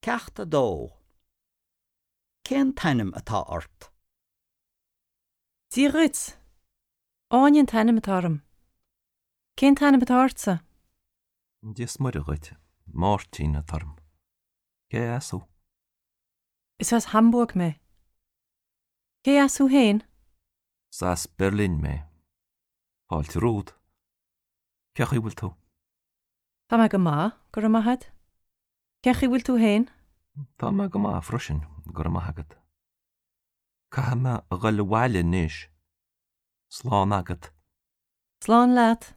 Ceacht 2 Cén t-ainm atá ort? Dia dhuit! Áine an t-ainm atá orm. Cén t-ainm atá ortsa? Dia is Muire dhuit. Máirtín atá orm. Cé as thú? Is as Hamburg mé. Cé as thú féin? Is as Berlin mé. Fáilte romhat. Cén chaoi a bhfuil tú? Tá mé go maith, go raibh maith agat. Cén chaoi a bhfuil tú féin? Tá mé go maith freisin, go raibh maith agat. Caithfidh mé a dhul abhaile anois. Slán agat. Slán leat.